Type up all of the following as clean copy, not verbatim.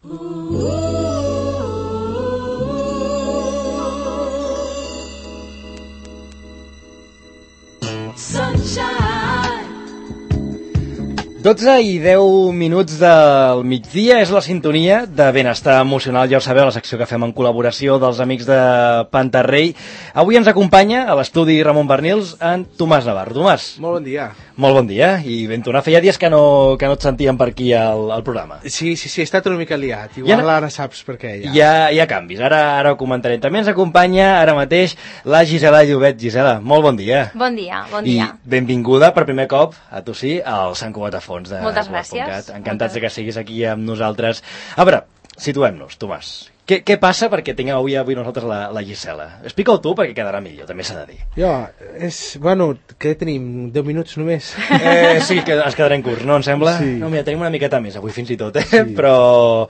Sunshine. 12 i 10 minuts del migdia és la sintonia de Benestar Emocional, ja ho sabeu, la secció que fem en col·laboració dels amics de Pantarrey. Avui ens acompanya a l'estudi Ramon Bernils en Tomàs Navarro. Tomàs. Molt bon dia. Molt bon dia, i ben tornat. Feia dies que no et sentíem per aquí al programa. Sí, he estat una mica liat. Igual ara saps per què. Hi ha canvis, ara ho comentarem. També ens acompanya ara mateix la Gisela Llobet. Gisela, molt bon dia. Bon dia, bon dia. I benvinguda per primer cop, a tu sí, al Sant Cugat a Fons de Moltes gràcies. Encantats de que siguis aquí amb nosaltres. A veure, situem-nos, Tomàs. Què passa perquè tinguem avui nosaltres la Gisela? Explica-ho tu perquè quedarà millor, també s'ha de dir. Bueno, què tenim? 10 minuts només? Sí, que ens quedarem curts, no? Em sembla? Sí. No, mira, tenim una miqueta més avui fins i tot, Sí. Però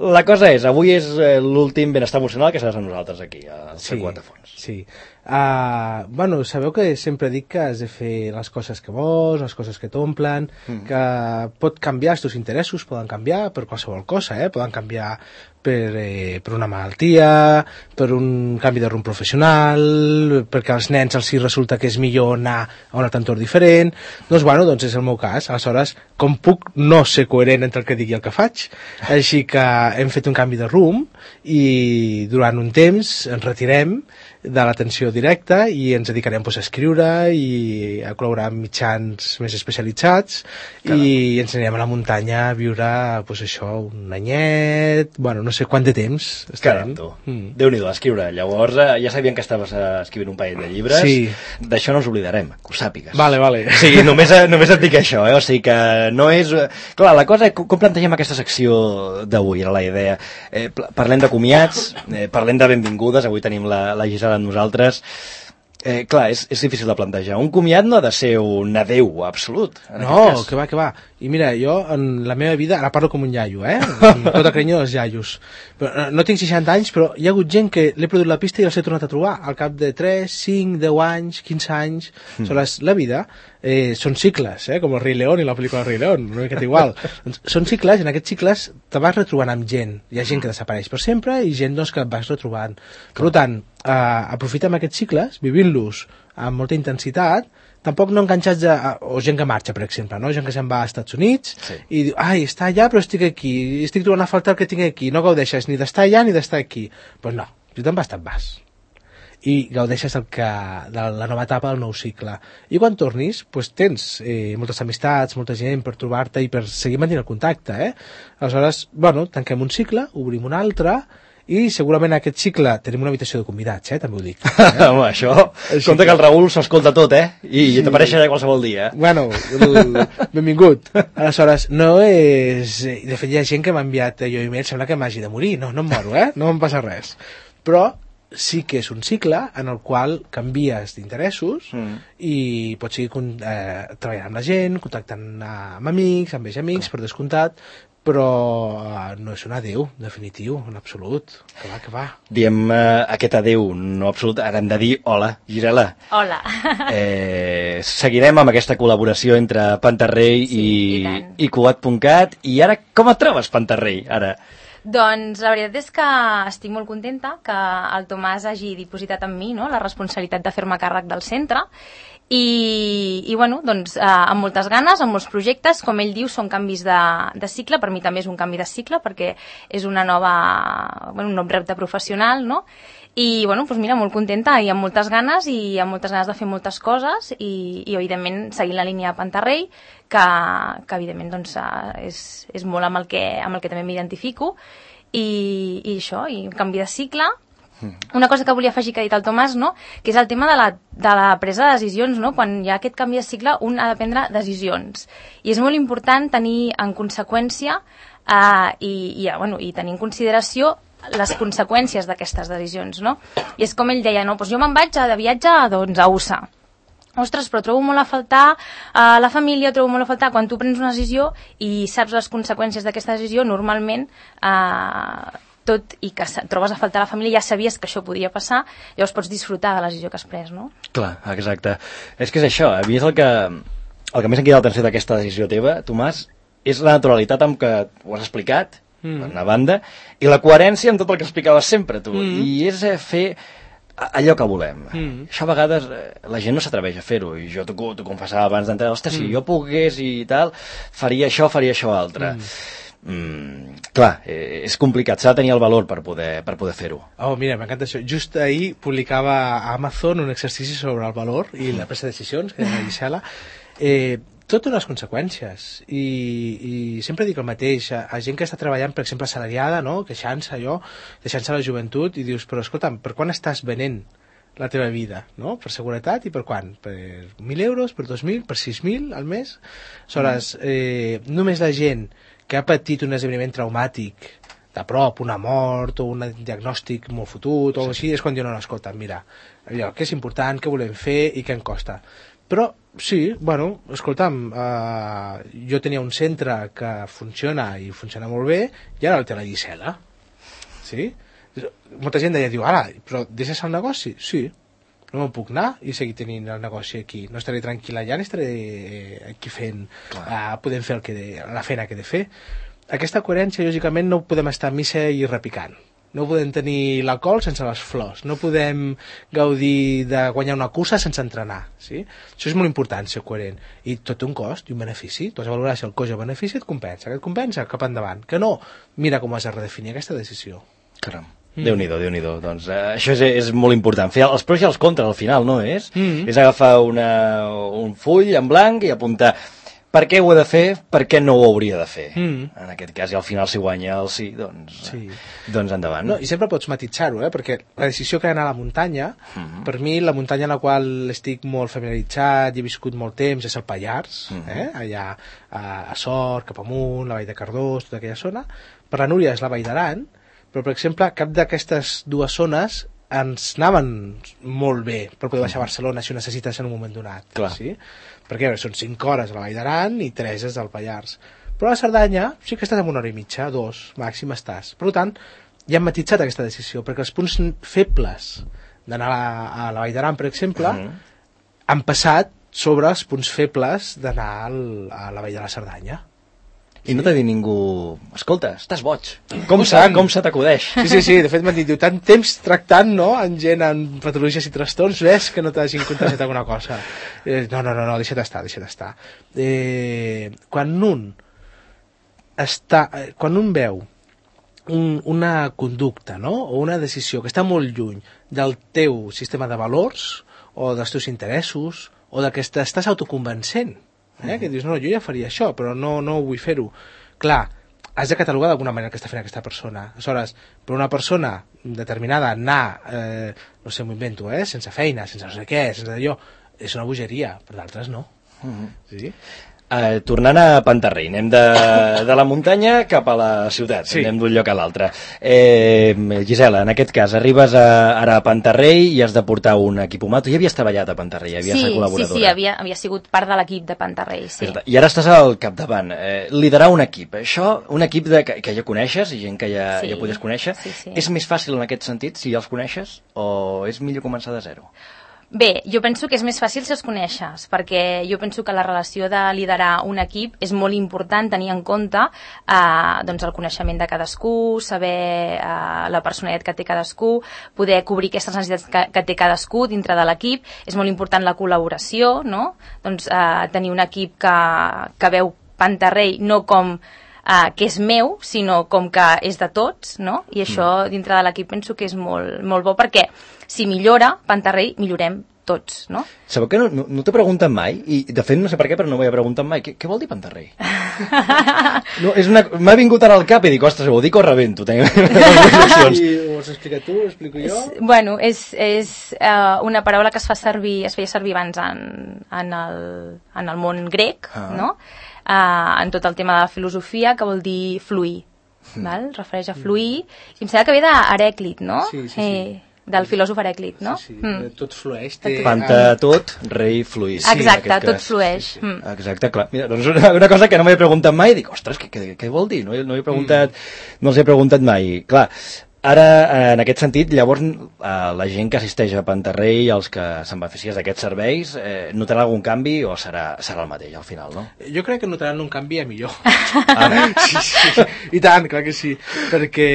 la cosa és, avui és l'últim Benestar Emocional que seràs amb nosaltres aquí, al Sant Cugat a Fons. Sí. Sabeu que sempre dic que has de fer les coses que vols, les coses que t'omplen, que pot canviar, els teus interessos poden canviar per qualsevol cosa, poden canviar per una malaltia, per un canvi de rumb professional, perquè als nens els resulta que és millor anar a un altre entorn diferent. Doncs és el meu cas. Aleshores, com puc no ser coherent entre el que dic i el que faig? Així que hem fet un canvi de rumb i durant un temps ens retirem de l'atenció directa i ens dedicarem a escriure i a col·laborar amb mitjans més especialitzats. Caram. I ens anirem a la muntanya a viure un anyet, no sé quant de temps estarem. Déu-n'hi-do, a escriure. Llavors ja sabien que estaves escrivint un parell de llibres. Sí. D'això no ens oblidarem, que ho sàpigues. Vale. O sigui, només et dic això, o sigui que no és... Clar, la cosa, com plantegem aquesta secció d'avui, era la idea. Parlem de comiats, parlem de benvingudes, avui tenim la Gisela amb nosaltres. Clar, és difícil de plantejar. Un comiat no ha de ser un adeu absolut. No, que va. I mira, jo en la meva vida, ara parlo com un iaio, amb tot el carinyo dels iaios. Però, no tinc 60 anys, però hi ha hagut gent que l'he perdut la pista i els he tornat a trobar al cap de 3, 5, 10 anys, 15 anys. Aleshores, la vida són cicles, com el Rei León i la pel·lícula del Rei León, una miqueta igual. Són cicles, i en aquests cicles te vas retrobant amb gent. Hi ha gent que desapareix per sempre i gent que et vas retrobant. Per tant, aprofitem aquests cicles, vivint-los amb molta intensitat, tampoc no enganxats o gent que marxa, per exemple, no? Gent que se'n va als Estats Units i diu, està allà però estic aquí, estic trobant a faltar el que tinc aquí, no gaudeixes ni d'estar allà ni d'estar aquí. Doncs no, si te'n vas, te'n vas. I gaudeixes de la nova etapa, del nou cicle. I quan tornis, tens moltes amistats, molta gent per trobar-te i per seguir mantenint el contacte. Aleshores, tanquem un cicle, obrim un altre, i segurament en aquest cicle tenim una habitació de convidats, també ho dic. Home, això, compte que el Raül s'ho escolta tot, i t'apareixerà qualsevol dia. Benvingut. Aleshores, no és... De fet, hi ha gent que m'ha enviat email, sembla que m'hagi de morir, no em moro, no em passa res. Però sí que és un cicle en el qual canvies d'interessos i pots seguir treballant amb la gent, contactant amb amics, amb amics, per descomptat, però no és un adeu definitiu, en absolut. Que va. Diem aquest adeu no absolut, ara hem de dir hola, Gisela. Hola. Seguirem amb aquesta col·laboració entre Pantarrey i Cugat.cat. I ara, com et trobes, Pantarrey, ara? Doncs la veritat és que estic molt contenta que el Tomàs hagi dipositat en mi, no?, la responsabilitat de fer-me càrrec del centre i amb moltes ganes, amb molts projectes. Com ell diu, són canvis de cicle, per mi també és un canvi de cicle perquè és un nou repte professional, no? I mira, molt contenta i amb moltes ganes de fer moltes coses i evidentment seguint la línia de Pantarrey, que evidentment és molt amb el que també m'identifico i això, i un canvi de cicle. Una cosa que volia afegir que ha dit el Tomàs, no?, que és el tema de la presa de decisions, no? Quan hi ha aquest canvi de cicle un ha de prendre decisions i és molt important tenir en conseqüència i tenir en consideració les conseqüències d'aquestes decisions, no? I és com ell deia, no? Jo me'n vaig de viatge a USA. Ostres, però trobo molt a faltar la família, trobo molt a faltar quan tu prens una decisió i saps les conseqüències d'aquesta decisió, normalment tot i que trobes a faltar la família, ja sabies que això podia passar, llavors pots disfrutar de la decisió que has pres, no? Clar, exacte. És que és això, a mi és el que més em queda l'atenció d'aquesta decisió teva, Tomàs, és la naturalitat amb què ho has explicat per una banda, i la coherència amb tot el que explicaves sempre, tu. I és fer allò que volem. Això a vegades la gent no s'atreveix a fer-ho, i jo t'ho confessava abans d'entrar, ostres, si jo pogués i tal, faria això altre. Clar, és complicat, s'ha de tenir el valor per poder fer-ho. Oh, mira, m'encanta això. Just ahir publicava a Amazon un exercici sobre el valor i la presa de decisions, que és la Gisela. Tot té unes conseqüències i sempre dic el mateix a gent que està treballant, per exemple, assalariada, no? Queixant-se la joventut, i dius, però escolta'm, per quan estàs venent la teva vida, no? Per seguretat i per quan? Per 1.000 euros, per 2.000, per 6.000 al mes? Aleshores, només la gent que ha patit un esdeveniment traumàtic de prop, una mort o un diagnòstic molt fotut o així, és quan diuen, no, escolta, mira, allò, què és important, què volem fer i què em costa. Però sí, bueno, escolta'm, jo tenia un centre que funciona i funciona molt bé i ara el té la Gisela. Sí? Molta gent deia, diu, ara, però deixes el negoci? Sí. No me'n puc anar i seguir tenint el negoci aquí. No estaré tranquil allà ni estaré aquí fent, podem fer la feina que he de fer. Aquesta coherència, lògicament, no podem estar a missa i repicant. No podem tenir la col sense les flors. No podem gaudir de guanyar una cursa sense entrenar. Sí? Això és molt important, ser coherent. I tot té un cost i un benefici. Tu has de valorar si el cost i el benefici et compensa. Que et compensa, cap endavant. Que no, mira com has de redefinir aquesta decisió. Caram. Déu-n'hi-do, Déu-n'hi-do. Doncs això és molt important. Fer els pros i els contres al final, no és? És agafar un full en blanc i apuntar per què ho he de fer, per què no ho hauria de fer. En aquest cas, i al final si guanya el sí, doncs endavant. No, i sempre pots matisar-ho, perquè la decisió que anar a la muntanya, per mi la muntanya en la qual estic molt familiaritzat i he viscut molt temps és el Pallars, allà a Sort, cap amunt, la Vall de Cardós, tota aquella zona. Per la Núria és la Vall d'Aran, però, per exemple, cap d'aquestes dues zones ens anaven molt bé per poder baixar a Barcelona si ho necessites en un moment donat. Clar. Sí? Perquè són 5 hores a la Vall d'Aran i 3 és al Pallars. Però a la Cerdanya sí que estàs en 1 hora i mitja, 2, màxim estàs. Per tant, ja hem matitzat aquesta decisió, perquè els punts febles d'anar a la Vall d'Aran, per exemple, han passat sobre els punts febles d'anar a la Vall de la Cerdanya. I no t'ha dit ningú, escolta, estàs boig, com se t'acudeix? Sí, de fet m'han dit, tant temps tractant, no?, amb gent amb patologies i trastorns, ves que no t'hagin contagiat alguna cosa. No, deixa't estar. Quan un veu una conducta, no?, o una decisió que està molt lluny del teu sistema de valors, o dels teus interessos, o del que estàs autoconvencent, que dius, no, jo ja faria això, però no vull fer-ho. Clar, has de catalogar d'alguna manera que està fent aquesta persona. Aleshores, per una persona determinada anar, no sé, m'ho invento, sense feina, sense no sé què, sense allò, és una bogeria, per d'altres no. Sí? Tornant a Pantarrei, anem de la muntanya cap a la ciutat, anem d'un lloc a l'altre. Gisela, en aquest cas, arribes ara a Pantarrei i has de portar un equip humà. Tu ja havies treballat a Pantarrei, havies estat col·laboradora. Sí, havia sigut part de l'equip de Pantarrei, sí. I ara estàs al capdavant. Liderar un equip, això, un equip que ja coneixes, i gent que ja podies conèixer, és més fàcil en aquest sentit, si ja els coneixes, o és millor començar de zero? Bé, jo penso que és més fàcil si els coneixes, perquè jo penso que la relació de liderar un equip és molt important tenir en compte doncs el coneixement de cadascú, saber la personalitat que té cadascú, poder cobrir aquestes necessitats que té cadascú dintre de l'equip. És molt important la col·laboració, no? Doncs tenir un equip que veu Pantarrei no com que és meu, sinó com que és de tots, no? I això dintre de l'equip penso que és molt, molt bo, perquè si millora Pantarrei, millorem tots, no? Sabeu que no t'he preguntat mai, i de fet no sé per què, però no m'ho he preguntat mai, què vol dir Pantarrei? M'ha vingut ara al cap i dic, ostres, vol dir que ho rebento. I ho has explicat tu, ho explico jo? Bueno, és una paraula que es feia servir abans en el món grec, no? En tot el tema de la filosofia, que vol dir fluir, val? Refereix a fluir, i em sembla que ve d'Herèclit, no? Sí. Del filòsof Herèclit, no? Sí, tot flueix. Panta tot, rei fluís. Exacte, tot flueix. Exacte, clar. Mira, doncs una cosa que no m'he preguntat mai, dic, ostres, què vol dir? No els he preguntat mai. Clar, Ara, en aquest sentit, llavors, la gent que assisteix a Pantarrei, els que se'n beneficien d'aquests serveis, notarà algun canvi o serà el mateix al final, no? Jo crec que notaran un canvi a millor. Sí. I tant, clar que sí. Perquè...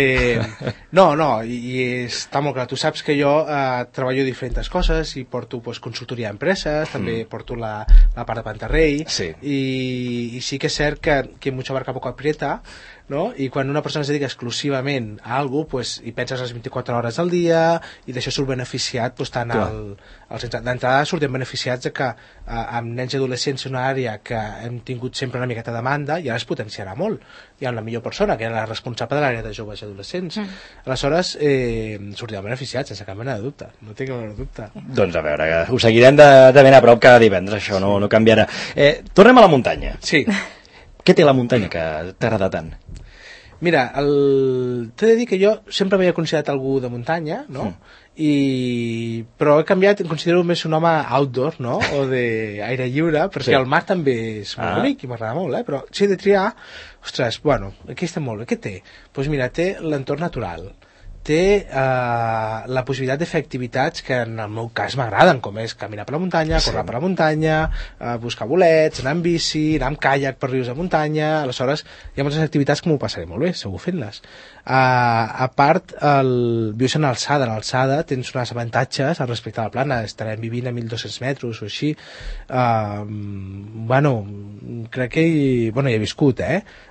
No, i està molt clar. Tu saps que jo treballo diferents coses i porto consultoria a empreses, també porto la part de Pantarrei, sí. I sí que és cert que mucho abarca poco aprieta, no? I quan una persona es dedica exclusivament a alguna cosa, pues, hi penses les 24 hores al dia i d'això surt beneficiat, pues, tant d'entrada surten beneficiats que amb nens i adolescents en una àrea que hem tingut sempre una miqueta de demanda i ara es potenciarà molt. Hi ha una millor persona que era la responsable de l'àrea de joves i adolescents. Aleshores sortirem beneficiats sense cap mena de dubte, no tinc cap mena de dubte. Doncs a veure, ho seguirem de ben a prop cada divendres, això no canviarà. Tornem a la muntanya. Sí. Què té la muntanya que t'agrada tant? Mira, t'he de dir que jo sempre m'havia considerat algú de muntanya, no? Però he canviat, em considero més un home outdoor, no? O d'aire lliure, perquè el mar també és molt bonic i m'agrada molt, però si he de triar, ostres, bueno, aquí està molt bé, què té? Doncs mira, té l'entorn natural, té la possibilitat de fer activitats que en el meu cas m'agraden, com és caminar per la muntanya, córrer per la muntanya, buscar bolets, anar amb bici, anar amb caiac per rius de muntanya. Aleshores hi ha moltes activitats que m'ho passaré molt bé, segur fent-les. A part, vius en alçada. En alçada tens uns avantatges respecte a la plana, estarem vivint a 1.200 metres o així. Crec que hi he viscut,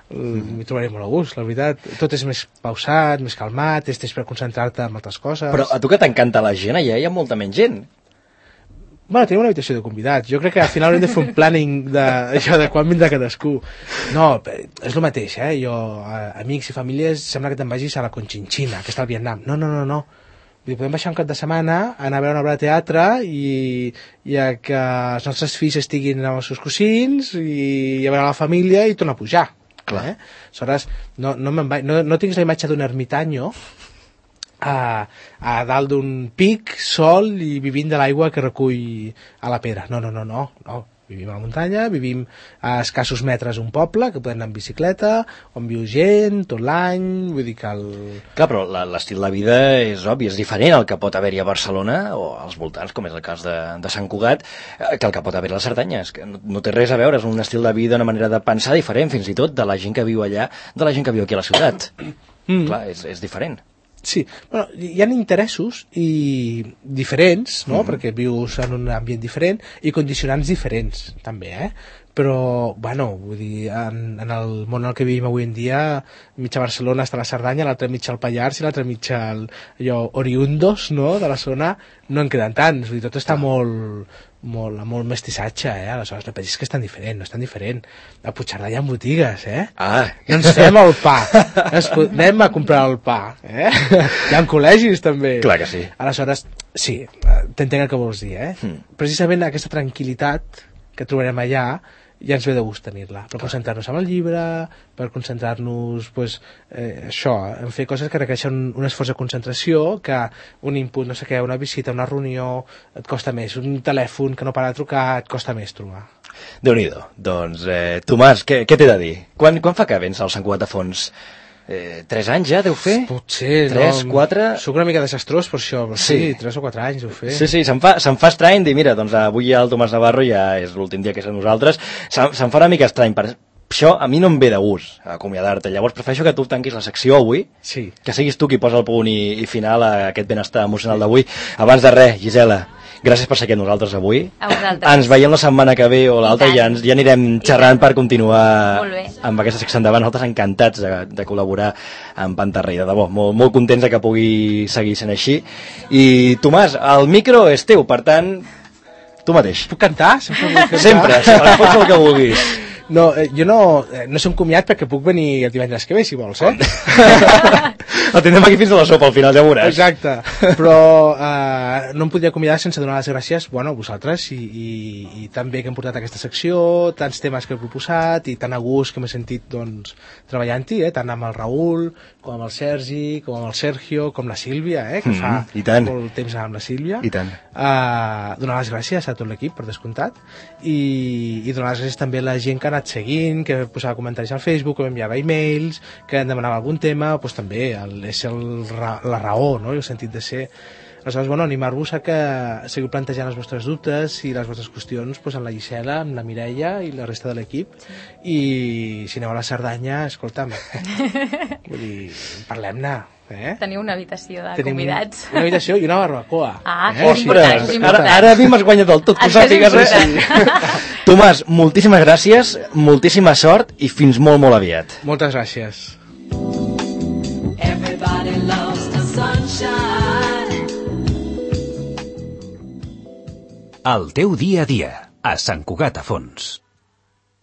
m'hi trobaré molt a gust, la veritat. Tot és més pausat, més calmat, tens temps per concentrar-te en altres coses. Però a tu que t'encanta la gent, allà hi ha molta menys gent. Bueno, tenim una habitació de convidats. Jo crec que al final haurem de fer un planning de quan vindrà cadascú. No, és el mateix, Jo, amics i famílies, sembla que te'n vagis a la Conchinchina, que està al Vietnam. No. Vull dir, podem baixar un cap de setmana, anar a veure una obra de teatre i que els nostres fills estiguin amb els seus cosins i a veure la família i tornar a pujar. Clar. Aleshores, no tinc la imatge d'un ermitanyo a dalt d'un pic sol i vivint de l'aigua que recull a la pedra. No. Vivim a la muntanya, vivim a escassos metres un poble, que podem anar amb bicicleta, on viu gent tot l'any, vull dir que Clar, però l'estil de vida és obvi, és diferent al que pot haver-hi a Barcelona o als voltants, com és el cas de Sant Cugat, que el que pot haver a la Cerdanya. És que no té res a veure, és un estil de vida, una manera de pensar diferent, fins i tot de la gent que viu allà, de la gent que viu aquí a la ciutat. Clar, és diferent. Sí, bueno, hi ha interessos diferents, no? Perquè vius en un ambient diferent i condicionants diferents, també, Però, vull dir, en el món en què vivim avui en dia, mitja Barcelona està a la Cerdanya, l'altra mitja al Pallars i l'altra mitja oriundos, no?, de la zona, no en queden tants, vull dir, tot està molt mestissatge, aleshores no pensis que és tan diferent, no és tan diferent. A Puigcerdà hi ha botigues, No ens fem el pa, anem a comprar el pa, Hi ha col·legis també. Clar que sí. Aleshores, sí, t'entenc el que vols dir, Precisament aquesta tranquil·litat que trobarem allà ja ens ve de gust tenir-la, per concentrar-nos en el llibre, per concentrar-nos en fer coses que requereixen un esforç de concentració, que un input, no sé què, una visita, una reunió et costa més, un telèfon que no para de trucar et costa més trobar. Déu-n'hi-do. Doncs, Tomàs, què t'he de dir? Quan fa que vens al Sant Cugat a fons? 3 anys ja deu fer? Potser, 3, 4... Soc una mica desastrós per això, però sí, 3 o 4 anys deu fer. Sí, se'm fa estrany dir, mira, doncs avui el Tomàs Navarro ja és l'últim dia que és a nosaltres, se'm fa una mica estrany, per això a mi no em ve de gust acomiadar-te, llavors prefereixo que tu tanquis la secció avui, que siguis tu qui posa el punt i final a aquest benestar emocional d'avui. Abans de res, Gisela, gràcies per ser aquí amb nosaltres avui. A vosaltres. Ens veiem la setmana que ve o l'altra i ja anirem xerrant per continuar amb aquesta secció endavant. Nosaltres encantats de col·laborar amb Pantarrei, de debò, molt contents que pugui seguir sent així. I Tomàs, el micro és teu, per tant, tu mateix. Puc cantar? Sempre, pots fer el que vulguis. No, jo no soc comiat perquè puc venir el divendres que ve, si vols, El tindrem aquí fins a la sopa, al final ja veuràs. Exacte, però no em podria acomiadar sense donar les gràcies a vosaltres i tan bé que hem portat aquesta secció, tants temes que he proposat i tan a gust que m'he sentit treballant-hi, tant amb el Raül, com amb el Sergi, com amb el Sergio, com la Sílvia, que fa molt temps amb la Sílvia. I tant. Donar les gràcies a tot l'equip, per descomptat, i donar les gràcies també a la gent que ha anat seguint, que posava comentaris al Facebook, que m'enviava e-mails, que em demanava algun tema, doncs també al la raó, no? I el sentit de ser. Aleshores, bueno, animar-vos a que seguiu plantejant els vostres dubtes i les vostres qüestions amb la Gisela, amb la Mireia i la resta de l'equip. I si aneu a la Cerdanya, escolta'm, vull dir, parlem-ne. Teniu una habitació de convidats. Una habitació i una barbacoa. És important. Ara a mi m'has guanyat del tot, tu sàpigues així. Tomàs, moltíssimes gràcies, moltíssima sort i fins molt, molt aviat. Moltes gràcies. Everybody loves the sunshine. El teu dia a dia, a Sant Cugat a Fons.